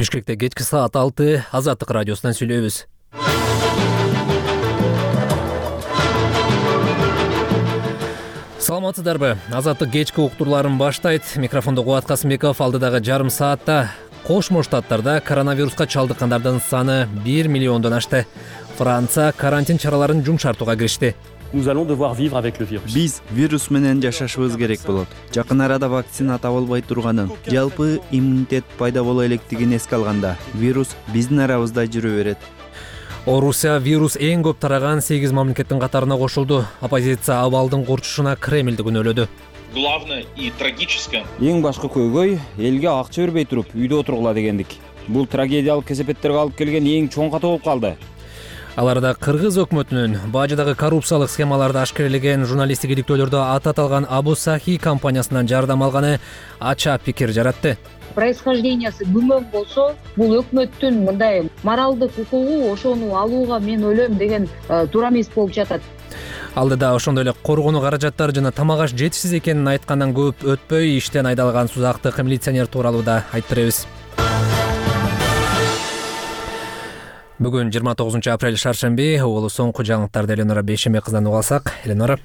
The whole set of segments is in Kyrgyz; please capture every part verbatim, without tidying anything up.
Бишкекте кечки саат алты Азаттык радиосунан сүйлөйбүз. Саламатсыздарбы? Азаттык кечки уктурларын баштайт. Микрофондо Кубат Касымбеков. Алдыдагы жарым саатта Кошмо Штаттарда коронавируска чалдыккандардын саны бир миллиондон ашты. Франция карантин чараларын жумшартууга киришти. Nous allons devoir vivre avec le virus. Биз вирус менен жашашыбыз керек болот. Жакын арада вакцина табылбай турганын, жалпы иммунитет пайда боло электигин эске алганда, вирус биздин арабызда жүрө берет. Орусия вирус эң көп тараган сегиз мамлекеттин катарына кошулду. Оппозиция абалдын курчушуна Кремлди күнөөлөдү. Главное и трагическое. Эң башкы көйгөй элге акча бербей туруп үйдө отургула дегендик. Бул трагедиялык кесепеттерге алып келген эң чоң ката болуп калды. Аларда Кыргыз өкмөтүнүн бажыдагы коррупциялык схемаларды ашкерелеген журналисттик иликтөөлөрдө аты аталган Абу Сахи компаниясынан жардам алганы ача пикир жаратты. Происхождениясы күмөн болсо, бул өкмөттүн мындай моралдык укугу ошону алууга мен ойлойм деген туура эмес болуп жатат. Алдыда ошондой эле коргонуу каражаттары жана тамак аш жетишсиз экенин айткандан көп өтпөй иштен айдалган сузактык милиционер тууралуу да айтып беребиз. Бүгүн жыйырма тогузунчу апрель шаршемби, угулу соңку жаңылыктарды Эленора Бейшембек кызынан уга алсак. Эленора.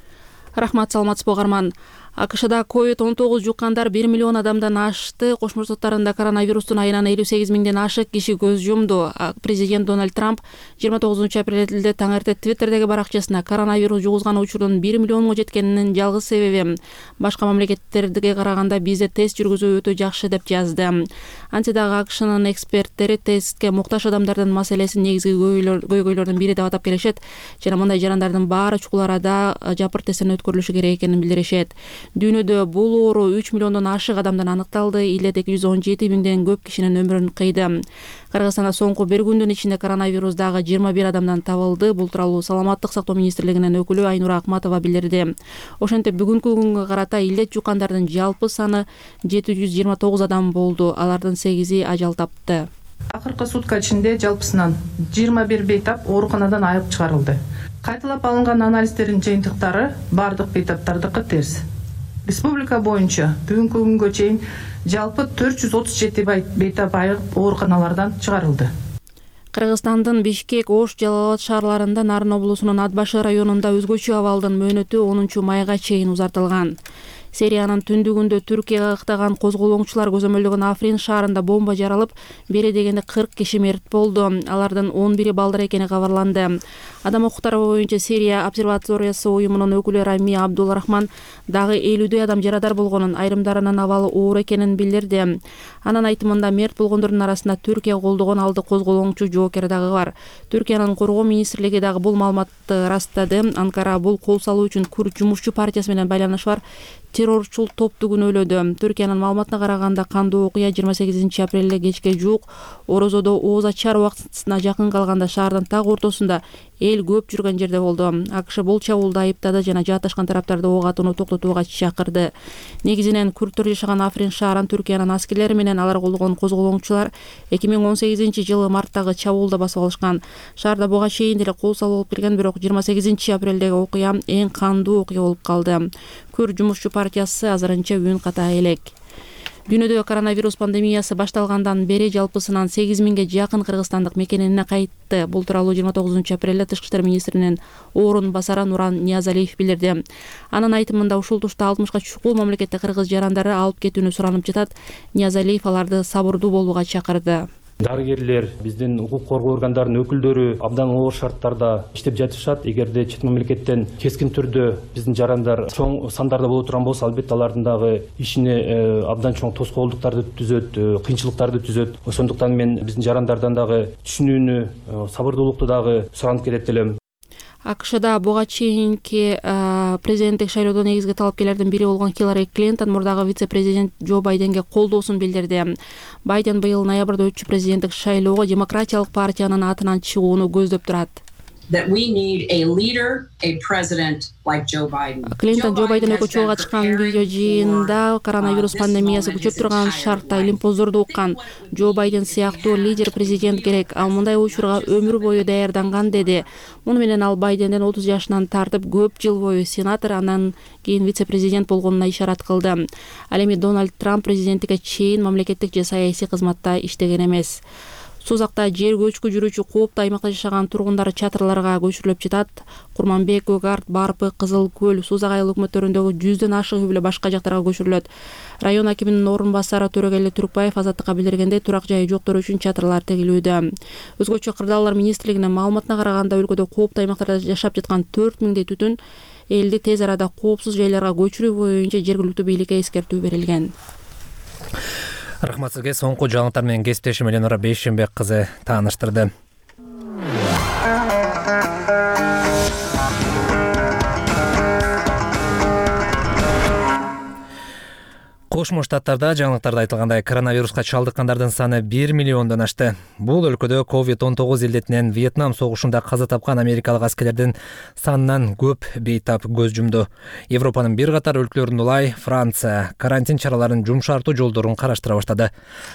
Рахмат, саламатсызбы угарман. АКШда ковид он тогуз жуккандар бир миллион адамдан ашты. Кошмо Штаттарында коронавирустун айынан элүү сегиз миңден ашык киши көз жумду. Президент Дональд Трамп жыйырма тогузунчу апрелде таң эрте Твиттердеги баракчасына коронавирус жугузган учурдун бир миллионго жеткенинин жалгыз себеби башка мамлекеттерге караганда бизде тест жүргүзүү өтө жакшы деп жазды. Антсе дагы АКШнын эксперттери тестке муктаж адамдардын маселесин негизги көйгөйлөрдүн бири деп атап келишет жана мындай жарандардын баары чукул арада жапыр тесттен өткөрүлүшү керек экенин билдиришет. Дүйнөдө бул оору үч миллиондон ашык адамдан аныкталды. Илет эки жүз он жети миңден көп кишинин өмүрүн кыйды. Кыргызстанда соңку бир күндүн ичинде коронавирус дагы жыйырма бир адамдан табылды. Бул тууралуу Саламаттык сактоо министрлигинин өкүлү Айнура Акматова билдирди. Ошентип бүгүнкү күнгө карата илет жуккандардын жалпы саны жети жүз жыйырма тогуз адам болду. Алардын сегизи ажал тапты. Акыркы сутка ичинде жалпысынан жыйырма бир бейтап ооруканадан айыгып чыгарылды. Кайталап алынган анализдердин жыйынтыктары бардык бейтаптардыкы терс. Республика боюнча бүгүнкү күнгө чейин жалпы төрт жүз отуз жети бейтап айыгып ооруканалардан чыгарылды. Кыргызстандын Бишкек, Ош, Жалал Абад шаарларында Нарын облусунун Атбашы районунда өзгөчө абалдын мөөнөтү онунчу майга чейин узартылган. Сириянын түндүгүндө Түркияга ыктаган козголоңчулар көзөмөлдөгөн Африн шаарында бомба жаралып, бери дегенде кырк киши мерт болду. Алардын он бири балдар экени кабарланды. Адам укуктары боюнча Сирия обсерваториясы уюмунун өкүлү Рами Абдулрахман дагы элүүдөй адам жарадар болгонун, айрымдарынын абалы оор экенин билдирди. Анын айтымында мерт болгондордун арасында Түркия колдогон алды козголоңчу жоокер дагы бар. Түркиянын коргоо министрлиги дагы бул маалыматты ырастады. Анкара бул кол салуу үчүн Күрд жумушчу партиясы менен байланышы бар террорчул топту күнөөлөдү. Түркиянын маалыматына караганда кандуу окуя жыйырма сегизинчи апрелде кечке жуук Орозодо ооз ачар убактысына жакын калганда шаардын так ортосунда эл көп жүргөн жерде болду. АКШ бул чабуулду айыптады жана жааташкан тараптарды ок атууну токтотууга чакырды. Негизинен күрттөр жашаган Африн шаарын Түркиянын аскерлери менен алар колдогон козголоңчулар эки миң он сегизинчи жылы марттагы чабуулда басып алышкан. Шаарда буга чейин деле кол салуу болуп келген, бирок жыйырма сегизинчи апрелдеги окуя эң кандуу окуя болуп калды. Күрд жумушчу партиясы азырынча үн ката элек. Дүйнөдө коронавирус пандемиясы башталгандан бери жалпысынан сегиз миңге жакын кыргызстандык мекенине кайтты. Бул тууралуу жыйырма тогузунчу апрелде Тышкы иштер министринин орун басары Нуран Ниязалиев билдирди. Анын айтымында ушул тушта алтымышка чукул мамлекетте кыргыз жарандары алып кетүүнү суранып жатат. Ниязалиев аларды сабырдуу болууга чакырды. Дарыгерлер, биздин укук коргоо органдарынын өкүлдөрү абдан оор шарттарда иштеп жатышат. Эгерде чет мамлекеттен кескин түрдө биздин жарандар чоң сандарда боло турган болсо, албетте алардын дагы ишине абдан чоң тоскоолдуктарды түзөт, кыйынчылыктарды түзөт. Ошондуктан мен биздин жарандардан дагы түшүнүүнү, сабырдуулукту дагы суранып келет элем. АКШда буга чейинки президенттик шайлоодо негизги талапкерлердин бири болгон Хиллари Клинтон мурдагы вице-президент Джо Байденге колдоосун билдирди. Байден быйыл ноябрда өтчү президенттик шайлоого демократиялык партиянын атынан чыгууну көздөп турат. that we need a leader, a president like Joe Biden. Клинтон Джо Байден экөө чогууга чыккан видео жыйынында коронавирус пандемиясы күчөп турган шартта илимпоздорду уккан. Джо Байден сыяктуу лидер президент керек. Ал мындай учурга өмүр бою даярданган деди. Муну менен ал Байденден отуз жашынан тартып көп жыл бою сенатор, андан кийин вице-президент болгонуна ишарат кылды. Ал эми Дональд Трамп президенттикке чейин мамлекеттик же саясий кызматта иштеген эмес. Сузакта жер көчкү жүрүүчү кооптуу аймакта жашаган тургундар чатырларга көчүрүлүп жатат. Курманбек, Өгарт, Барпы, Кызыл Көл, Сузак айыл өкмөттөрүндөгү жүздөн ашык үй бүлө башка жактарга көчүрүлөт. Район акиминин орун басары Төрөгели Түркбаев Азаттыкка билдиргендей, турак жайы жоктор үчүн чатырлар тегилүүдө. Өзгөчө кырдаалдар министрлигинин маалыматына караганда өлкөдө кооптуу аймактарда жашап жаткан төрт миңдей түтүн элди тез арада коопсуз жайларга көчүрүү боюнча жергиликтүү бийликке эскертүү берилген. Рахмат сизге. Соңку жаңылыктар менен кесиптешим Эленора Бейшенбек кызы тааныштырды. Кошмо Штаттарда жаңылыктарда айтылгандай коронавируска чалдыккандардын саны бир миллиондон ашты. Бул өлкөдө ковид он тогуз илдетинен Вьетнам согушунда каза тапкан америкалык аскерлердин санынан көп бейтап көз жумду. Европанын бир катар өлкөлөрүндө улай Франция карантин чараларын жумшартуу жолдорун караштыра баштады.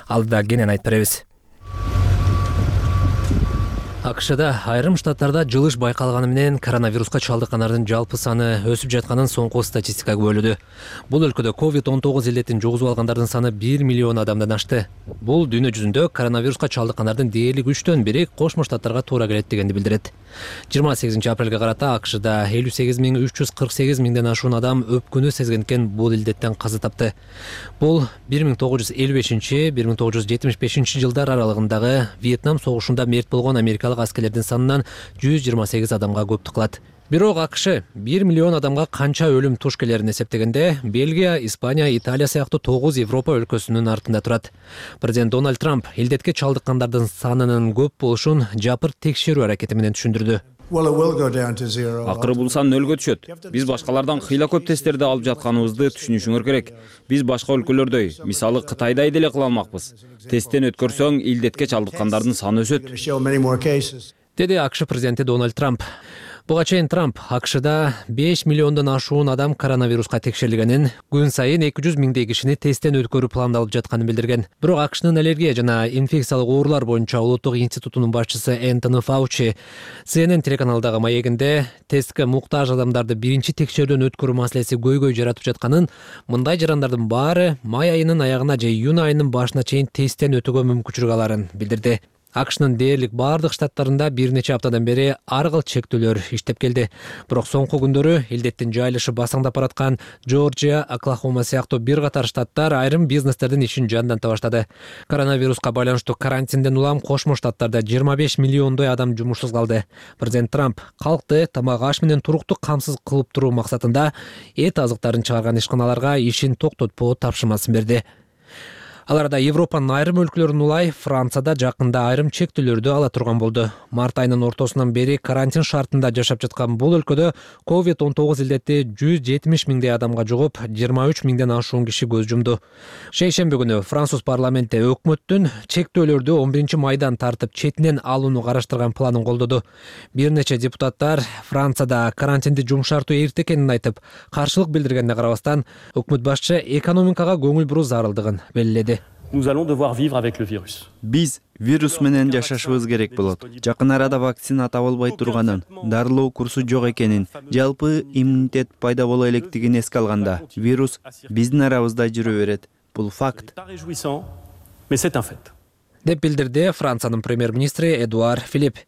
Алдыда кенен айтып беребиз. АКШда айрым штаттарда жылыш байкалганы менен коронавируска чалдыккандардын жалпы саны өсүп жатканын соңку статистика күбөлөдү. Бул өлкөдө ковид он тогуз илдетин жугузуп алгандардын саны бир миллион адамдан ашты. Бул дүйнө жүзүндө коронавируска чалдыккандардын дээрлик үчтөн бири Кошмо Штаттарга туура келет дегенди билдирет. жыйырма сегизинчи апрелге карата АКШда элүү сегиз миң үч жүз кырк сегиз миңден ашуун адам өпкүнү сезгенден бул илдеттен каза тапты. Бул бир миң тогуз жүз элүү бешинчи — бир миң тогуз жүз жетимиш бешинчи жылдар аралыгындагы Вьетнам согушунда мерт болгон америкалык аскерлердин санынан жүз жыйырма сегиз адамга көптүк кылат. Бирок АКШ бир миллион адамга канча өлүм туш келерин эсептегенде Бельгия, Испания, Италия сыяктуу тогуз Европа өлкөсүнүн артында турат. Президент Дональд Трамп илдетке чалдыккандардын санынын көп болушун жапыр текшерүү аракети менен түшүндүрдү. Акыры бул сан нөлгө түшөт. Биз башкалардан кыйла көп тесттерди алып жатканыбызды түшүнүшүңөр керек. Биз башка өлкөлөрдөй, мисалы Кытайдай деле кыла алмакпыз. Тесттен өткөрсөң, илдетке чалдыккандардын саны өсөт, деди АКШ президенти Дональд Трамп. Буга чейин Трамп АКШда беш миллиондон ашуун адам коронавируска текшерилгенин, күн сайын эки жүз миңдей кишини тесттен өткөрүү пландалып жатканын билдирген. Бирок АКШнын аллергия жана инфекциялык оорулар боюнча улуттук институтунун башчысы Энтони Фаучи Си Эн Эн телеканалдагы маегинде тестке муктаж адамдарды биринчи текшерүүдөн өткөрүү маселеси көйгөй жаратып жатканын, мындай жарандардын баары май айынын аягына же июнь айынын башына чейин тесттен өтүүгө мүмкүнчүлүк аларын билдирди. АКШнын дээрлик бардык штаттарында бир нече аптадан бери ар кыл чектөөлөр иштеп келди. Бирок соңку күндөрү илдеттин жайылышы басаңдап бараткан Жоржия, Оклахома сыяктуу бир катар штаттар айрым бизнестердин ишин жандanta баштады. Коронавируска байланыштуу карантинден улам Кошмо Штаттарда жыйырма беш миллиондой адам жумушсуз калды. Президент Трамп калкты тамак аш менен турукту камсыз кылып туруу максатында эт азыктарын чыгарган ишканаларга ишин токтотпоо тапшырмасын берди. Ал арада Европанын айрым өлкөлөрүнүн улай Францияда жакында айрым чектөөлөрдү ала турган болду. Март айынын ортосунан бери карантин шартында жашап жаткан бул өлкөдө ковид он тогуз илдети жүз жетимиш миңдей адамга жугуп, жыйырма үч миңден ашуун киши көз жумду. Шейшемби күнү Француз парламенти өкмөттүн чектөөлөрдү он биринчи майдан тартып четинен алууну караштырган планын колдоду. Бир нече депутаттар Францияда карантинди жумшартуу эрте экенин айтып, каршылык билдиргенине карабастан, өкмөт башчы экономикага көңүл буруу зарылдыгын белгиледи. Nous allons devoir vivre avec le virus. Биз вирус менен жашашыбыз керек болот. Жакын арада вакцина табылбай турганын, дарылоо курсу жок экенин, жалпы иммунитет пайда боло электигин эске алганда, вирус биздин арабызда жүрө берет. Бул факт. Mais c'est un fait. деп билдирди Франциянын премьер-министри Эдуар Филипп.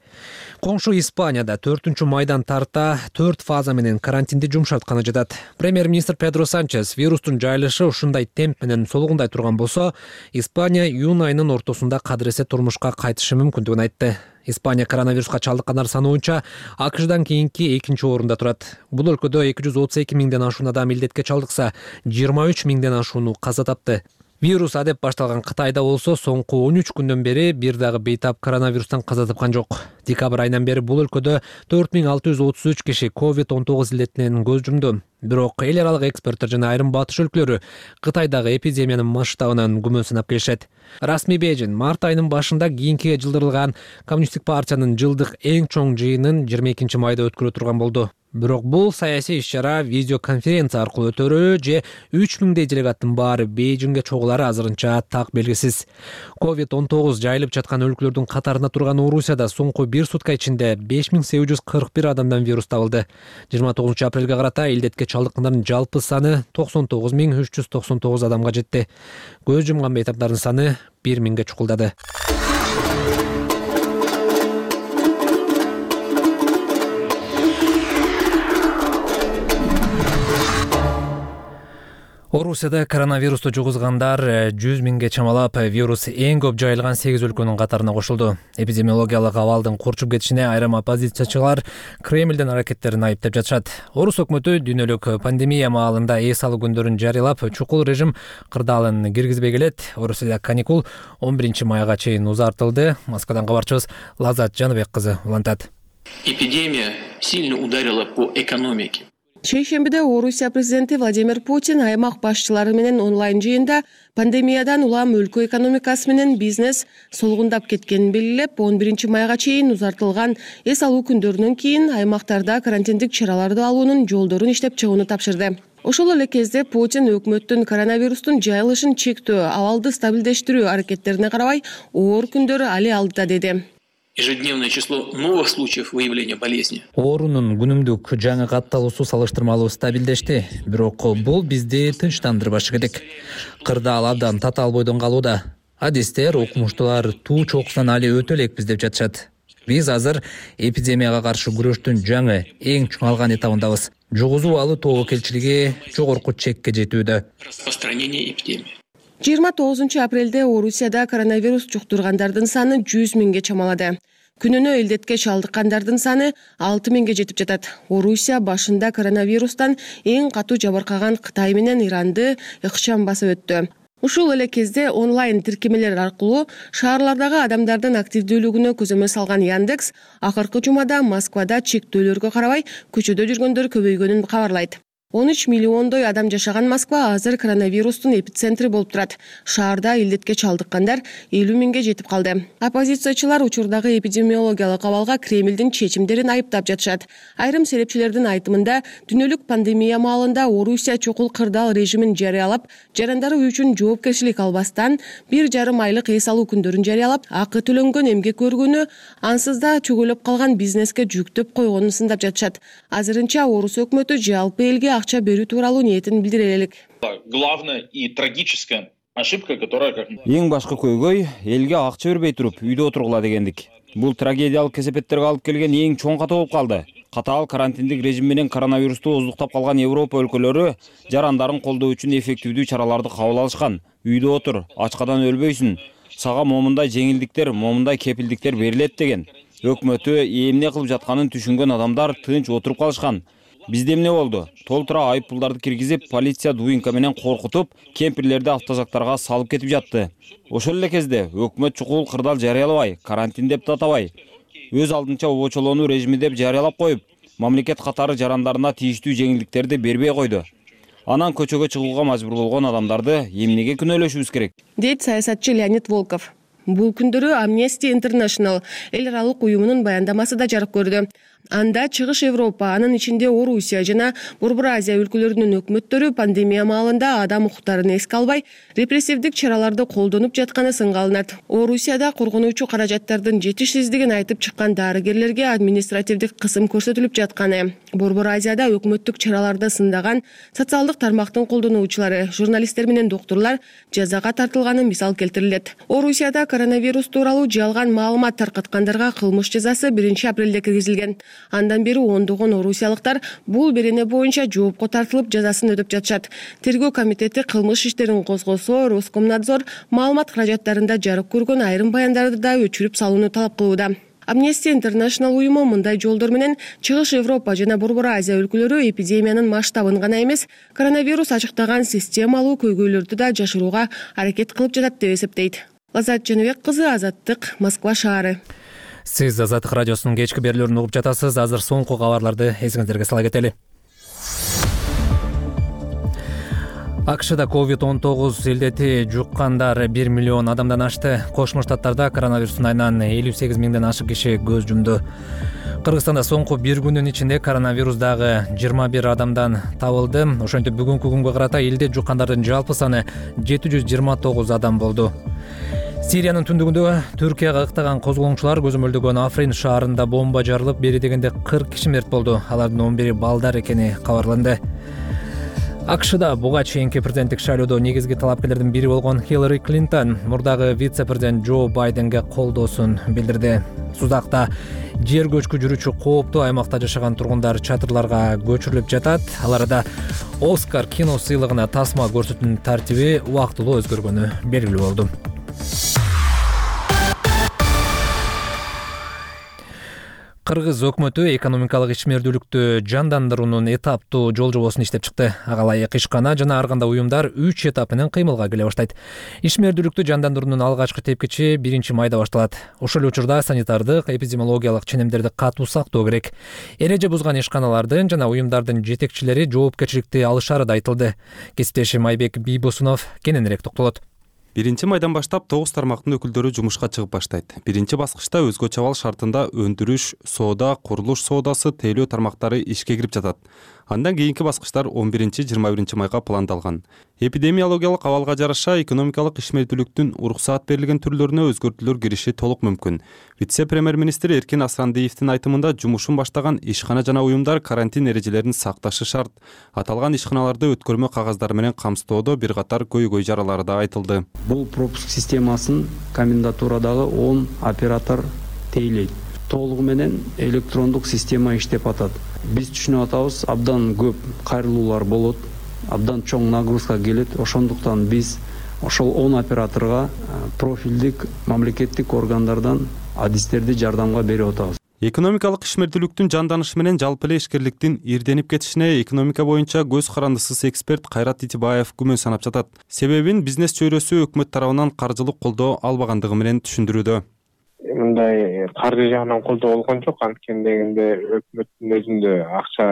Коңшу Испанияда төртүнчү майдан тарта төрт фаза менен карантинди жумшартканы жатат. Премьер-министр Педро Санчес вирустун жайылышы ушундай темп менен солугундай турган болсо, Испания июнь айынын ортосунда кадыресе турмушка кайтышы мүмкүндүгүн айтты. Испания коронавируска чалдыккандар саны боюнча АКШдан кийинки экинчи орунда турат. Бул өлкөдө эки жүз отуз эки миңден ашуун адам илдетке чалдыкса, жыйырма үч миңден ашууну каза тапты. Вирус адеп башталган Кытайда болсо, соңку он үч күндөн бери бир дагы бейтап коронавирустан каза тапкан жок. Декабрь айынан бери бул өлкөдө төрт миң алты жүз отуз үч киши ковид он тогуз илдетинен көз жумду. Бирок эл аралык эксперттер жана айрым батыш өлкөлөрү Кытайдагы эпидемиянын масштабынан күмөн сынап келишет. Расмий Бейжин март айынын башында кийинкиге жылдырылган Коммунисттик партиянын жылдык эң чоң жыйынын жыйырма экинчи майда өткөрө турган болду. Бирок бул саясий иш-чара видеоконференция аркылуу өтөрү же үч миңдей делегаттын баары Бейжиңге чогулары азырынча так белгисиз. ковид он тогуз жайылып жаткан өлкөлөрдүн катарында турган Орусияда соңку бир сутка ичинде беш миң сегиз жүз кырк бир адамдан вирус табылды. жыйырма тогузунчу апрелге карата илдетке чалдыккандардын жалпы саны токсон тогуз миң үч жүз токсон тогуз адамга жетти. Көз жумган бейтаптардын саны бир миңге чукулдады. Орусияда коронавирусту жугузгандар жүз миңге чамалап, вирус эң көп жайылган сегиз өлкөнүн катарына кошулду. Эпидемиологиялык абалдын курчуп кетишине айрым оппозициячылар Кремлдин аракеттерин айыптап жатышат. Орус өкмөтү дүйнөлүк пандемия маалында эс алуу күндөрүн жарыялап, чукул режим кырдаалын киргизбей келет. Орусияда каникул он биринчи майга чейин узартылды. Москвадан кабарчыбыз Лазат Жаныбек кызы улантат. Эпидемия сильно ударила по экономике. Шейшембиде Орусия президенти Владимир Путин аймак башчылары менен онлайн жыйында пандемиядан улам өлкө экономикасы менен бизнес солгундап кеткенин белгилеп, он биринчи майга чейин узартылган эс алуу күндөрүнөн кийин аймактарда карантиндик чараларды алуунун жолдорун иштеп чыгууну тапшырды. Ошол эле кезде Путин өкмөттүн коронавирустун жайылышын чектөө, абалды стабилдештирүү аракеттерине карабай, оор күндөрү али алдыда деди. Ежедневное число новых случаев выявления болезни. Оорунун күнүмдүк жаңы катталуусу салыштырмалуу стабилдешти, бирок бул бизди тынчтандырбашы керек. Кырдаал абдан татаал бойдон калууда. Адистер, окумуштуулар туу чокусунан али өтө элекпиз деп жатышат. Биз азыр эпидемияга каршы күрөштүн жаңы, эң чоңалган этабындабыз. Жугузуу алуу тобокелчилиги жогорку чекке жетүүдө. Распространение эпидемии. жыйырма тогузунчу апрелде Орусияда коронавирус жуктургандардын саны жүз миңге чамалады. Күнүнө илдетке чалдыккандардын саны алты миңге жетип жатат. Орусия башында коронавирустан эң катуу жабыркаган Кытай менен Иранды ыкчам басып өттү. Ушул эле кезде онлайн тиркемелер аркылуу шаарлардагы адамдардын активдүүлүгүнө көзөмөл салган Яндекс акыркы жумада Москвада чектөөлөргө карабай көчөдө жүргөндөр көбөйгөнүн кабарлайт. он үч миллиондой адам жашаган Москва азыр коронавирустун эпицентри болуп турат. Шаарда илдетке чалдыккандар элүү миңге жетип калды. Оппозициячылар учурдагы эпидемиологиялык абалга Кремлдин чечимдерин айыптап жатышат. Айрым серепчилердин айтымында, дүйнөлүк пандемия маалында Орусия чокул кырдаал режимин жарыялап, жарандары үчүн жоопкерчилик албастан бир жарым айлык эс алуу күндөрүн жарыялап, акы төлөнгөн эмгек көргөнү, ансыз да чөгөлөп калган бизнеске жүктөп койгонун сындап жатышат. Азырынча Орус өкмөтү жалпы элге акча берүү тууралуу ниетин билдире элек. Главная и трагическая ошибка, которая как Эң башкы көйгөй элге акча бербей туруп үйдө отургула дегендик. Бул трагедиялык кесепеттерге алып келген эң чоң ката болуп калды. Катаал карантиндик режим менен коронавирусту оздуктап калган Европа өлкөлөрү жарандарын колдоо үчүн эффективдүү чараларды кабыл алышкан. Үйдө отур, ачкадан өлбөйсүн. Сага момундай жеңилдиктер, момундай кепилдиктер берилет деген. Өкмөтү эмне кылып жатканын түшүнгөн адамдар тынч отуруп калышкан. Бизде эмне болду? Толтура айып пулдарды киргизип, полиция дуинка менен коркутуп, кемпирлерди автозактарга салып кетип жатты. Ошол эле кезде өкмөт чукул кырдаал жарыялабай, карантин деп татабай, өз алдынча обочолонуу режими деп жарыялап коюп, мамлекет катары жарандарына тийиштүү жеңилдиктерди бербей койду. Анан көчөгө чыгууга мажбур болгон адамдарды эмнеге күнөөлөшүбүз керек? Дейт саясатчы Леонид Волков. Бул күндөрү Amnesty International эл аралык уюмунун баяндамасы да жарык көрдү. Анда Чыгыш Европа, анын ичинде Орусия жана Борбор Азия өлкөлөрүнүн өкмөттөрү пандемия маалында адам укуктарын эске албай, репрессивдик чараларды колдонуп жатканы сынга алынат. Орусияда коргонуучу каражаттардын жетишсиздигин айтып чыккан дарыгерлерге административдик кысым көрсөтүлүп жатканы. Борбор Азияда өкмөттүк чараларды сындаган социалдык тармактын колдонуучулары, журналисттер менен доктурлар жазага тартылганы мисал келтирилет. Орусияда коронавирус тууралуу жалган маалымат таркаткандарга кылмыш жазасы биринчи апрелде киргизилген. Андан бери ондогон орусиялыктар бул берене боюнча жоопко тартылып жазасын өтөп жатышат. Тергөө комитети кылмыш иштерин козгосо, Роскомнадзор маалымат каражаттарында жарык көргөн айрым баяндарды да өчүрүп салууну талап кылууда. Amnesty International уюму мындай жолдор менен Чыгыш Европа жана Борбор Азия өлкөлөрү эпидемиянын масштабын гана эмес, коронавирус ачыктаган системалуу көйгөйлөрдү да жашырууга аракет кылып жатат деп эсептейт. Лазат Жаныбек кызы, Азаттык, Москва шаары. Сиз Азаттык радиосунун кечки берүүлөрүн угуп жатасыз. Азыр соңку кабарларды эсиңиздерге сала кетели. акшда ковид он тогуз илдети жуккандар бир миллион адамдан ашты. Кошмо Штаттарда коронавирустун айынан элүү сегиз миңден ашык киши көз жумду. Кыргызстанда соңку бир күндүн ичинде коронавирус дагы жыйырма бир адамдан табылды. Ошентип бүгүнкү күнгө карата элде жуккандардын жалпы саны жети жүз жыйырма тогуз адам болду. Сириянын түндүгүндө Түркияга ыктаган козголоңчулар көзөмөлдөгөн Африн шаарында бомба жарылып, бери дегенде кырк киши мерт болду. Алардын он бири балдар экени кабарланды. акшда буга чейинки президенттик шайлоодо негизги талапкерлердин бири болгон Хиллари Клинтон мурдагы вице-президент Джо Байденге колдоосун билдирди. Сузакта жер көчкү жүрүүчү кооптуу аймакта жашаган тургундар чатырларга көчүрүлүп жатат. Аларда Оскар кино сыйлыгына тасма көрсөтүүнүн тартиби убактылуу өзгөргөнү белгилүү болду. Кыргыз өкмөтү экономикалык ишмердүүлүктү жандандыруунун этаптуу жол жобосун иштеп чыкты. Ага ылайык ишкана жана ар кандай уюмдар үч этап менен кыймылга келе баштайт. Ишмердүүлүктү жандандыруунун алгачкы тепкичи биринчи майда башталат. Ошол учурда санитардык, эпидемиологиялык ченемдерди катуу сактоо керек. Эреже бузган ишканалардын жана уюмдардын жетекчилери жоопкерчиликти алышары да айтылды. Кесиптешим Айбек Бийбосунов кененирээк токтолот. Биринчи майдан баштап тогуз тармактын өкүлдөрү жумушка чыгып баштайт. Биринчи баскычта өзгөчө абал шартында өндүрүш, соода, курулуш соодасы, тейлөө тармактары ишке кирип жатат. Андан кийинки баскычтар он биринчи жыйырма биринчи майга пландалган. Эпидемиологиялык абалга жараша экономикалык ишмердүүлүктүн уруксаат берилген түрлөрүнө өзгөртүүлөр кириши толук мүмкүн. Вице-премьер-министр Эркин Асрандиевдин айтымында жумушун баштаган ишкана жана уюмдар карантин эрежелерин сакташы шарт. Аталган ишканаларды өткөрмө кагаздары менен камсыздоодо бир катар көйгөй жаралары да айтылды. Бул пропуск системасын комендатурадагы он оператор тейлейт. Толугу менен электрондук система иштеп атат. Биз түшүнүп атабыз, абдан көп кайрылуулар болот, абдан чоң нагрузка келет. Ошондуктан биз ошол он операторго профилдик мамлекеттик органдардан адистерди жардамга берип атабыз. Экономикалык ишмердүүлүктүн жанданышы менен жалпы эле ишкерликтин ирденип кетишине экономика боюнча көз карандысыз эксперт Кайрат Итибаев күмөн санап жатат. Себебин бизнес чөйрөсү өкмөт тарабынан каржылык колдоо албагандыгы менен түшүндүрүүдө. Мындай каржы жагынан колдоо болгон жок, анткени дегенде өкмөттүн өзүндө акча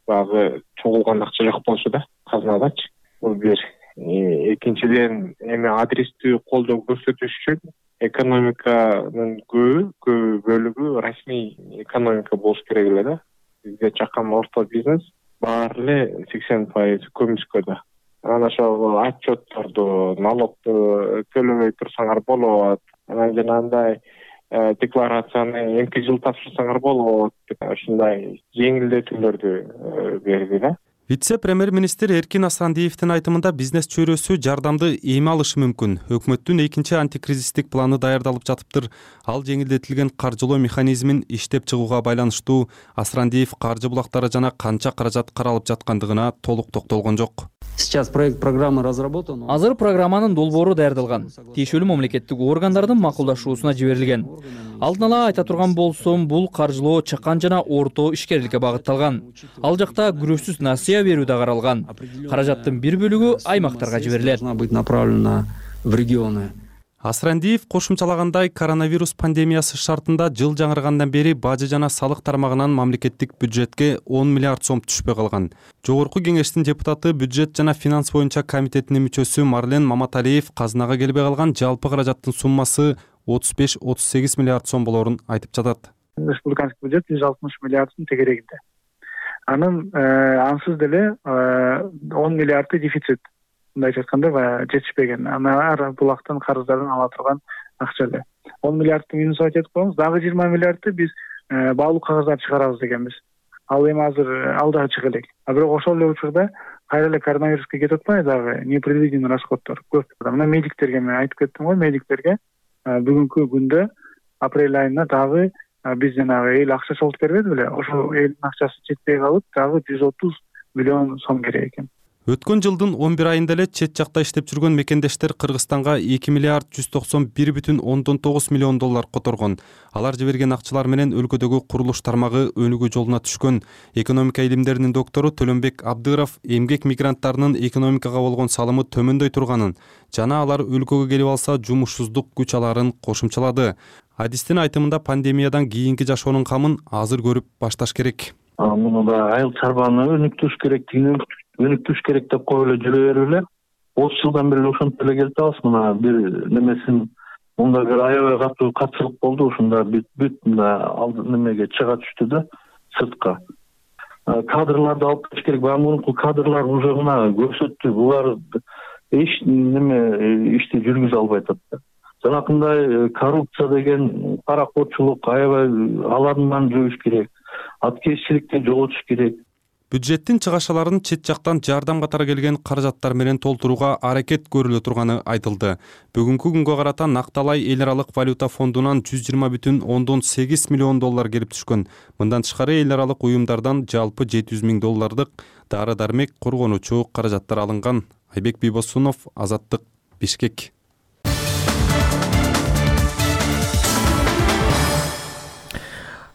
багы чогулган акча жок болчу да казынадачы. Бул бир. Экинчиден эми адрестүү колдоо көрсөтүш үчүн экономиканын көбү көбү бөлүгү расмий экономика болуш керек эле да. Бизде чакан орто бизнес баары эле сексен пайыз көмүскөдө. Анан ошол отчетторду, налогду төлөбөй турсаңар болот. Анан жанагындай декларацияны эмки жыл тапшырсаңар болот. Ушундай жеңилдетүүлөрдү берди да. Вице-премьер-министр Эркин Асрандиевдин айтымында бизнес чөйрөсү жардамды эми алышы мүмкүн. Өкмөттүн экинчи антикризистик планы даярдалып жатыптыр. Ал жеңилдетилген каржылоо механизмин иштеп чыгууга байланыштуу. Асрандиев каржы булактары жана канча каражат каралып жаткандыгына толук токтолгон жок. Сейчас проект программы разработан. Азыр программанын долбоору даярдалган. Тиешелүү мамлекеттик органдардын макулдашуусуна жиберилген. Алдын ала айта турган болсом, бул каржылоо чакан жана орто ишкерликке багытталган. Ал жакта күрөшсүз насыя берүү да каралган. Каражаттын бир бөлүгү аймактарга жиберилет. Направлена в регионы. Асрандиев кошумчалагандай, коронавирус пандемиясы шартында жыл жаңыргандан бери бажы жана салык тармагынан мамлекеттик бюджетке он миллиард сом түшпөй калган. Жогорку кеңештин депутаты, бюджет жана финанс боюнча комитетинин мүчөсү Марлен Маматалиев казынага келбей калган жалпы каражаттын суммасы отуз беш отуз сегиз миллиард сом болорун айтып жатат. Республиканский бюджет жүз алтымыш миллиарддын тегерегинде. Анын ансыз деле он миллиарды дефицит. Мындайча айтканда жетишпеген. Ар булактан карыздардан ала турган акча эле. он миллиардты минус айтып коебуз. Дагы жыйырма миллиардты биз баалуу кагаздар чыгарабыз дегенбиз. Ал эми азыр алда чыга элек. А бирок ошол эле учурда кайра эле коронавируска кетип атпайбы дагы непредвиденный расходдор көп. Мына медиктерге мен айтып кеттим го, медиктерге бүгүнкү күндө апрель айына дагы биз жанагы эл акча чогултуп бербеди беле? Ошол элдин акчасы жетпей калып, дагы жүз отуз миллион сом керек экен. Өткөн жылдын он бир айында эле чет жакта иштеп жүргөн мекендештер Кыргызстанга эки миллиард жүз токсон бир бүтүн ондон тогуз миллион доллар которгон. Алар жиберген акчалар менен өлкөдөгү курулуш тармагы өнүгүү жолуна түшкөн. Экономика илимдеринин доктору Төлөнбек Абдыров эмгек мигранттарынын экономикага болгон салымы төмөндөй турганын жана алар өлкөгө келип алса жумушсуздук күч аларын кошумчалады. Адистин айтымында пандемиядан кийинки жашоонун камын азыр көрүп башташ керек. Муну да айыл чарбаны өнүктүрүш керектигин өнүктүрүш керек деп коюп эле жүрө берип эле отуз жылдан бери ошентип эле келип атабыз. Мына бир немесин мында бир аябай катуу катчылык болду. Ушунда бүт бүт мына немеге чыга түштү да сыртка. Кадрларды алып келиш керек. Баягы мурунку кадрлар уже мына көрсөттү. Булар эч неме ишти жүргүзө албай атат да. Жанакындай коррупция деген, паракорчулук аябай алардын баарын жоюш керек. Аткезчиликти жоготуш керек. Бюджеттин чыгашаларын чет жактан жардам катары келген каражаттар менен толтурууга аракет көрүлө турганы айтылды. Бүгүнкү күнгө карата Накталай эл аралык валюта фондунан жүз жыйырма бүтүн ондон сегиз миллион доллар келип түшкөн. Мындан тышкары эл аралык уюмдардан жалпы жети жүз миң доллардык дары-дармек, коргонуучу каражаттар алынган. Айбек Бийбосунов, Азаттык, Бишкек.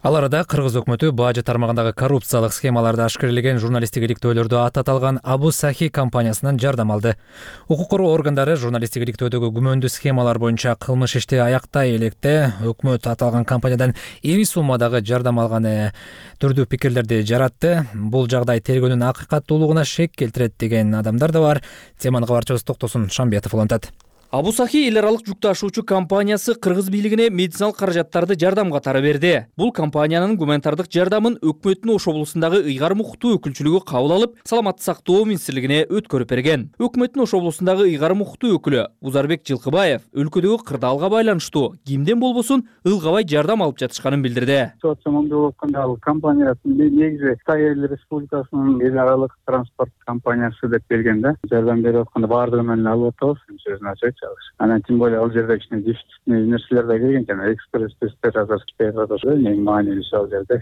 Ал арада Кыргыз өкмөтү бажы тармагындагы коррупциялык схемаларды ашкерелеген журналисттик иликтөөлөрдө ат аталган Абу Сахи компаниясынан жардам алды. Укук коргоо органдары журналисттик иликтөөдөгү күмөндүү схемалар боюнча кылмыш ишти аяктай электе өкмөт аталган компаниядан ири суммадагы жардам алганы түрдүү пикирлерди жаратты. Бул жагдай тергөөнүн акыйкаттуулугуна шек келтирет деген адамдар да бар. Теманы кабарчыбыз Токтосун Шамбетов улантат. Абу Сахи эл аралык жүк ташуучу компаниясы кыргыз бийлигине медициналык каражаттарды жардам катары берди. Бул компаниянын гуманитардык жардамын өкмөттүн Ош облусундагы ыйгарым укуктуу өкүлчүлүгү кабыл алып, саламаттык сактоо министрлигине өткөрүп берген. Өкмөттүн Ош облусундагы ыйгарым укуктуу өкүлү Узарбек Жылкыбаев өлкөдөгү кырдаалга байланыштуу кимден болбосун ылгабай жардам алып жатышканын билдирди. Ал компаниясын негизи Кытай Эл Республикасынын эл аралык транспорт компаниясы деп келген да. Жардам берип атканда баардыгы менен алып атабыз. Сөзүн ачайт. Анан тем более ал жерде кичине дефицитный нерселер да келген, жана экспресс тесттер азыр Кытайга да эң маанилүүсү ал жерде.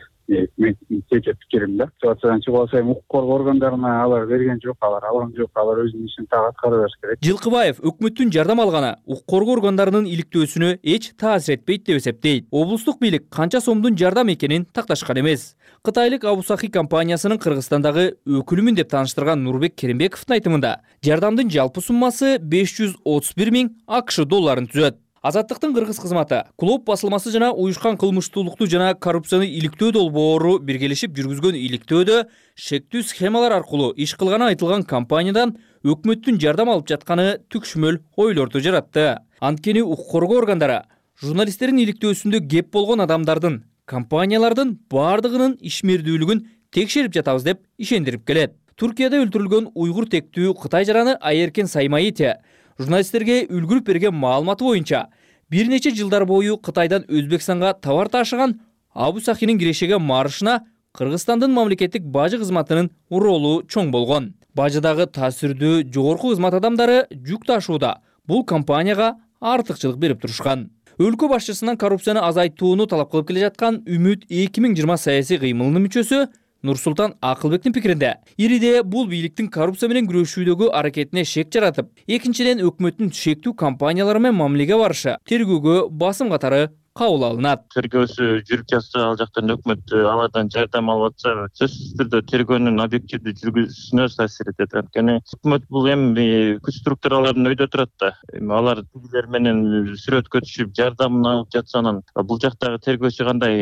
Мен жеке пикирим да. Ситуациядан чыгып алсам, укук коргоо органдарына алар берген жок, алар алган жок, алар өзүнүн ишин так аткара бериш керек. Жылкыбаев өкмөттүн жардам алганы укук коргоо органдарынын иликтөөсүнө эч таасир этпейт деп эсептейт. Облустук бийлик канча сомдун жардам экенин такташкан эмес. Кытайлык Абу Сахи компаниясынын Кыргызстандагы өкүлүмүн деп тааныштырган Нурбек Керимбековдун айтымында, жардамдын жалпы суммасы беш жүз отуз бир миң АКШ долларын түзөт. Азаттыктын кыргыз кызматы Клоп басылмасы жана уюшкан кылмыштуулукту жана коррупцияны иликтөө долбоору биргелешип жүргүзгөн иликтөөдө шектүү схемалар аркылуу иш кылганы айтылган компаниядан өкмөттүн жардам алып жатканы түкшмөл ойлорду жаратты. Анткени укук коргоо органдары журналисттердин иликтөөсүндө кеп болгон адамдардын, компаниялардын баардыгынын ишмердүүлүгүн текшерип жатабыз деп ишендирип келет. Туркияда өлтүрүлгөн уйгур тектүү Кытай жараны Айеркен Саймаити журналисттерге үлгүрүп берген маалыматы боюнча бир нече жылдар бою Кытайдан Өзбекстанга товар ташыган Абу Сахинин кирешеге марышына Кыргызстандын мамлекеттик бажы кызматынын ролу чоң болгон. Бажыдагы таасирдүү жогорку кызмат адамдары жүк ташууда бул компанияга артыкчылык берип турушкан. Өлкө башчысынан коррупцияны азайтууну талап кылып келе жаткан Үмүт эки миң жыйырма саясий кыймылынын мүчөсү Нурсултан Акылбектин пикиринде, ириде бул бийликтин коррупция менен күрөшүүдөгү аракетине шек жаратып, экинчиден өкмөттүн шектүү компаниялары менен мамилеге барышы тергөөгө басым катары кабыл алынат. Тергөөсү жүрүп жатса, ал жактан өкмөт алардан жардам алып атса, сөзсүз түрдө тергөөнүн объективдүү жүргүзүүсүнө таасир этет. Анткени өкмөт бул эми күч структураларынын өйдө турат да. Алар тигилер менен сүрөткө түшүп жардамын алып жатса, анан бул жактагы тергөөчү кандай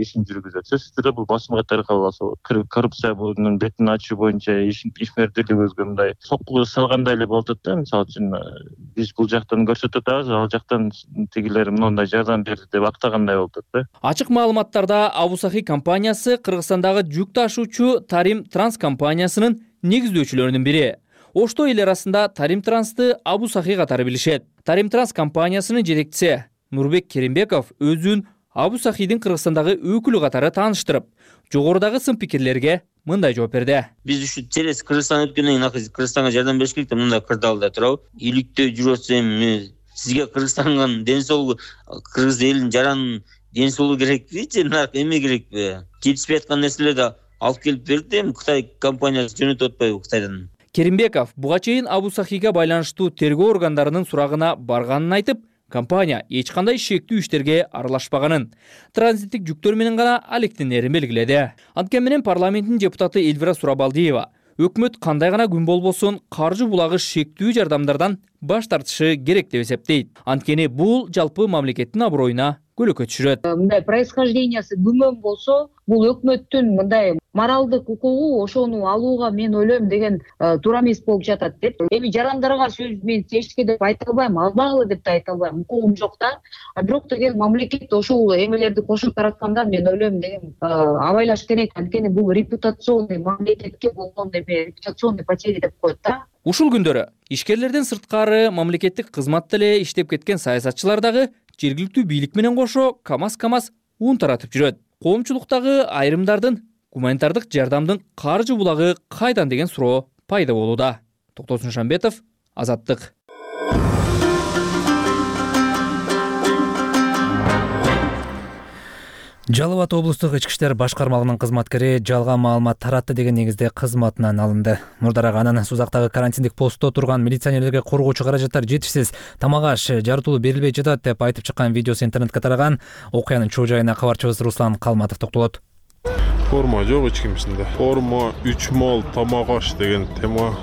ишин жүргүзөт? Сөзсүз түрдө бул басым катары кабыл алса болот. Коррупциянын бетин ачуу боюнча ишмердүүлүгүбүзгө мындай сокку салгандай эле болуп атат да. Мисалы үчүн биз бул жактан көрсөтүп атабыз, ал жактан тигилер мындай жардам берди деп актагандай болуп атат. Ачык маалыматтарда Абу Сахи компаниясы Кыргызстандагы жүк ташуучу Тарим Транс компаниясынын негиздөөчүлөрүнүн бири. Ошто эл арасында Тарим Трансты Абу Сахи катары билишет. Тарим Транс компаниясынын жетекчиси Нурбек Керимбеков өзүн Абу Сахидин Кыргызстандагы өкүлү катары тааныштырып, жогорудагы сын пикирлерге мындай жооп берди. Биз ушу через Кыргызстан өткөндөн кийин Кыргызстанга жардам бериш керек деп мындай кырдаалда турабы. Иликтөө жүрүп атса эми сизге Кыргызстандын ден соолугу, кыргыз элинин жаранын ден соолугу керекпи же наркы эме керекпи? Жетишпей аткан нерселерди алып келип берди, эми Кытай компаниясы жөнөтүп атпайбы Кытайдан? Керимбеков буга чейин Абу Сахига байланыштуу тергөө органдарынын сурагына барганын айтып, компания эч кандай шектүү иштерге аралашпаганын, транзиттик жүктөр менен гана алектенерин белгиледи. Анткени менен парламенттин депутаты Элвира Сурабалдиева өкмөт кандай гана күн болбосун каржы булагы шектүү жардамдардан баш тартышы керек деп эсептейт. Анткени бул жалпы мамлекеттин аброюна көлөкө түшүрөт. Мындай происхождениясы күмөн болсо, бул өкмөттүн мындай моралдык укугу ошону алууга мен ойлойм деген туура эмес болуп жатат деп. Эми жарандарга сөз мен чечке деп айта албайм, албагыла деп да айта албайм, укугум жок да. Бирок деген мамлекет ошол эмелерди кошуп таратканда мен ойлойм деген абайлаш керек. Анткени бул репутационный мамлекетке болгон эме репутационный потери деп коет да. Ушул күндөрү ишкерлерден сырткары мамлекеттик кызматта эле иштеп кеткен саясатчылар дагы жергиликтүү бийлик менен кошо камаз-камаз уун таратып жүрөт. Коомчулуктагы айрымдардын гуманитардык жардамдын каржы булагы кайдан деген суроо пайда болууда. Токтосун Шамбетов, Азаттык. Жалал Абад облустук ички иштер башкармалыгынын кызматкери жалган маалымат таратты деген негизде кызматынан алынды. Мурдараак анын Сузактагы карантиндик постто турган милиционерлерге коргоочу каражаттар жетишсиз, тамак аш жарытылуу берилбей жатат деп айтып чыккан видеосу интернетке тараган. Окуянын чоо жайына кабарчыбыз Руслан Калматов токтолот. Форма жок эч кимисинде. Форма үч мол тамак аш деген тема.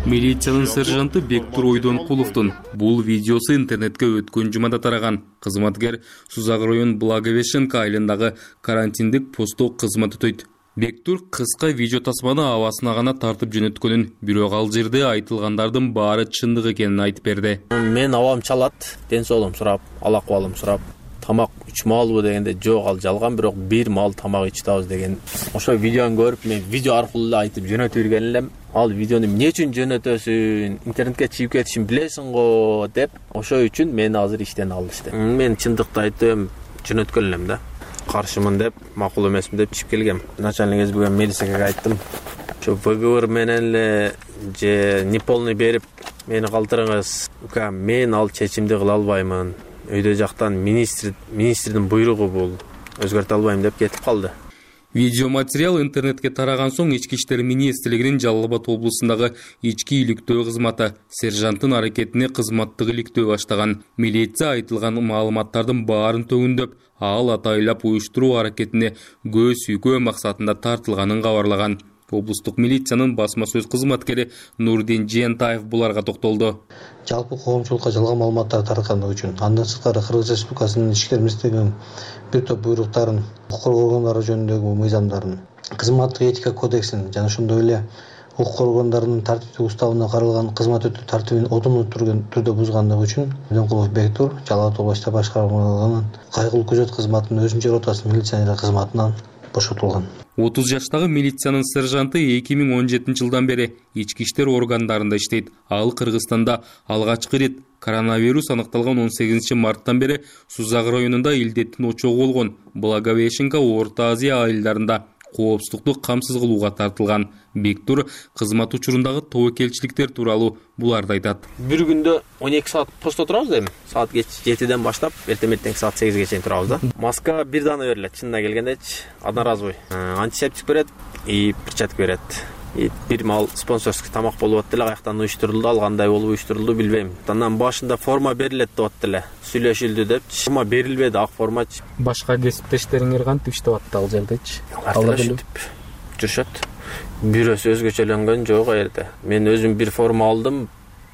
Милициянын сержанты Бектур Ойдонкуловдун бул видеосу интернетке өткөн жумада тараган. Кызматкер Сузак район Благовещенка айылындагы карантиндик постто кызмат өтөйт. Бектур кыска видео тасманы абасына гана тартып жөнөткөнүн, бирок ал жерде айтылгандардын баары чындык экенин айтып берди. Мен абам чалат, ден соолугум сурап, ал акыбалым сурап, тамак үч маалбы дегенде жок, ал жалган, бирок бир маал тамак ичтабыз деген. Ошо видеону көрүп мен видео аркылуу эле айтып жөнөтүп жүргөн элем. Ал видеону эмне үчүн жөнөтөсүң, интернетке чыгып кетишин билесиң го деп, ошо үчүн мени азыр иштен алышты. Мен чындыкты айтып жөнөткөн элем да. Каршымын деп, макул эмесмин деп чыгып келгем. Начальник СБ милицияга айттым. Ошо выговор менен эле же неполный берип мени калтырыңыз. Ука, мен ал чечимди кыла албаймын. Өйдө жактан министр министрдин буйругу бул. Өзгөртө албайм деп кетип калды. Видеоматериал интернетке тараган соң Ички иштер министрлигинин Жалал Абад облусундагы ички иликтөө кызматы сержанттын аракетине кызматтык иликтөө баштаган. Милиция айтылган маалыматтардын баарын төгүндөп, ал атайлап уюштуруу аракетине көз сүйкөө максатында тартылганын кабарлаган. Облустук милициянын басма сөз кызматкери Нурдин Жентаев буларга токтолду. Жалпы коомчулукка жалган маалыматтар тараткандыгы үчүн андан сырткары Кыргыз Республикасынын ички иштер министрлигинин бир топ буйруктарын, укук коргоо органдары жөнүндөгү мыйзамдарын, кызматтык этика кодексин жана ошондой эле укук коргоондарынын тартиптик уставына каралган кызмат өтүү тартибин одумдуу түрдө бузгандыгы үчүн Ойдонкулов Бектур Жалал Абад облустук башкармалыгынын кайгылуу күзөт кызматынын өзүнчө ротасынын милиционер кызматынан бошотулган. отуз жаштагы милициянын сержанты эки миң он жетинчи жылдан бери ички иштер органдарында иштейт. Ал Кыргызстанда алгачкы ирет коронавирус аныкталган он сегизинчи марттан бери Сузак районунда илдеттин очогу болгон Благовещенка, Орто Азия айылдарында коопсуздукту камсыз кылууга тартылган. Бектур кызмат учурундагы тобокелчиликтер тууралуу буларды айтат. Бир күндө он эки саат постто турабыз эми. Саат жетиден баштап эртең эртең саат сегизге чейин турабыз да. Маска бир дана берилет, чынына келгендечи, одноразовый. Антисептик берет и перчатка берет. И бир маал спонсорский тамак болуп атты эле, каяктан уюштурулду, ал кандай болуп уюштурулду билбейм. Андан башында форма берилет деп атты эле. Сүйлөшүлдү депчи. Форма берилбеди, ак формачы. Башка кесиптештериңер кантип иштеп атты ал жердечи? Алар жүрүшөт. Бирөөсү өзгөчөлөнгөн жок жерде. Мен өзүм бир форма алдым,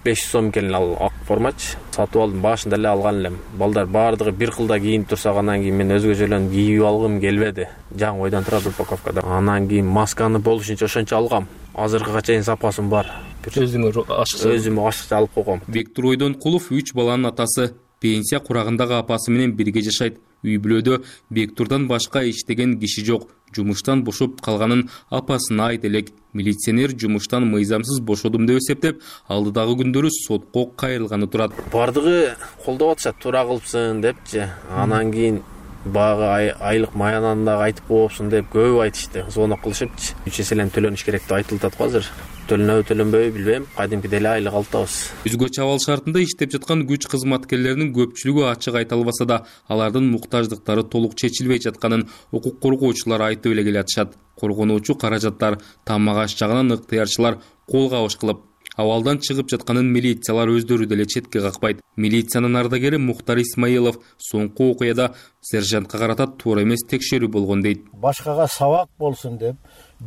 беш жүз сом экен ал ак формачы. Сатып алдым, башында эле алган элем. Балдар баардыгы бир кылда кийинип турса, анан кийин мен өзгөчөлөнүп кийип алгым келбеди. Жаңы ойдон турат упаковкада. Анан кийин масканы болушунча ошончо алгам. Азыркыга чейин сапасым бар. Өзүңөр ашыкча. Өзүм ашыкча алып койгом. Бектур Ойдонкулов үч баланын атасы, пенсия курагындагы апасы менен бирге жашайт. Үй бүлөдө Бектурдан башка иштеген киши жок. Жумуштан бошоп калганын апасына айт элек. Милиционер жумуштан мыйзамсыз бошодум деп эсептеп, алдыдагы күндөрү сотко кайрылганы турат. Бардыгы колдоп атышат, туура кылыпсың депчи. Анан кийин багы айлык маянанда айтып коопсуң деп көп айтышты. Звонок кылышыпчы. үч эселен төлөнүш керек деп айтылып атат азыр. Төлөнөбү төлөнбөйбү билбейм, кадимкидей эле айлык алтабыз. Өзгөчө абал шартында иштеп жаткан күч кызматкерлеринин көпчүлүгү ачык айта албаса да, алардын муктаждыктары толук чечилбей жатканын укук коргоочулар айтып эле келатышат. Коргонуучу каражаттар тамак аш жагынан ыктыярчылар кол кабыш кылып, абалдан чыгып жатканын милициялар өздөрү деле четке какпайт. Милициянын ардагери Мухтар Исмаилов соңку окуяда сержантка карата туура эмес текшерүү болгон дейт. Башкага сабак болсун деп,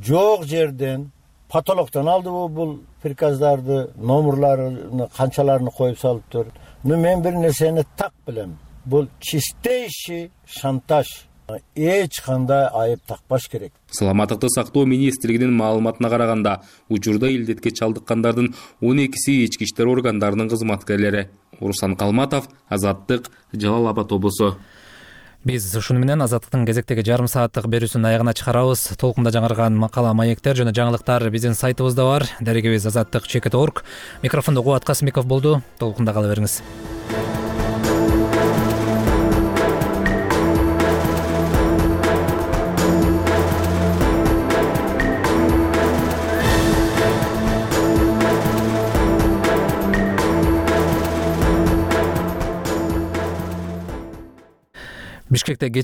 жок жерден потолоктон алдыбы бул приказдарды, номерларын канчаларын коюп салыптыр. Но мен бир нерсени так билем. Бул чистейший шантаж. Эч кандай айып такпаш керек. Саламаттыкты сактоо министрлигинин маалыматына караганда, учурда илдетке чалдыккандардын он экиси ички иштер органдарынын кызматкерлери. Руслан Калматов, Азаттык, Жалал Абад облусу. Биз ушуну менен Азаттыктын кезектеги жарым сааттык берүүсүнүн аягына чыгарабыз. Толкунда жаңырган макала, маектер жана жаңылыктар биздин сайтыбызда бар. Дарегибиз азаттык чекит точка орг. Микрофондо Кубат Касымбеков болду. Толкунда кала бериңиз. Бишкекте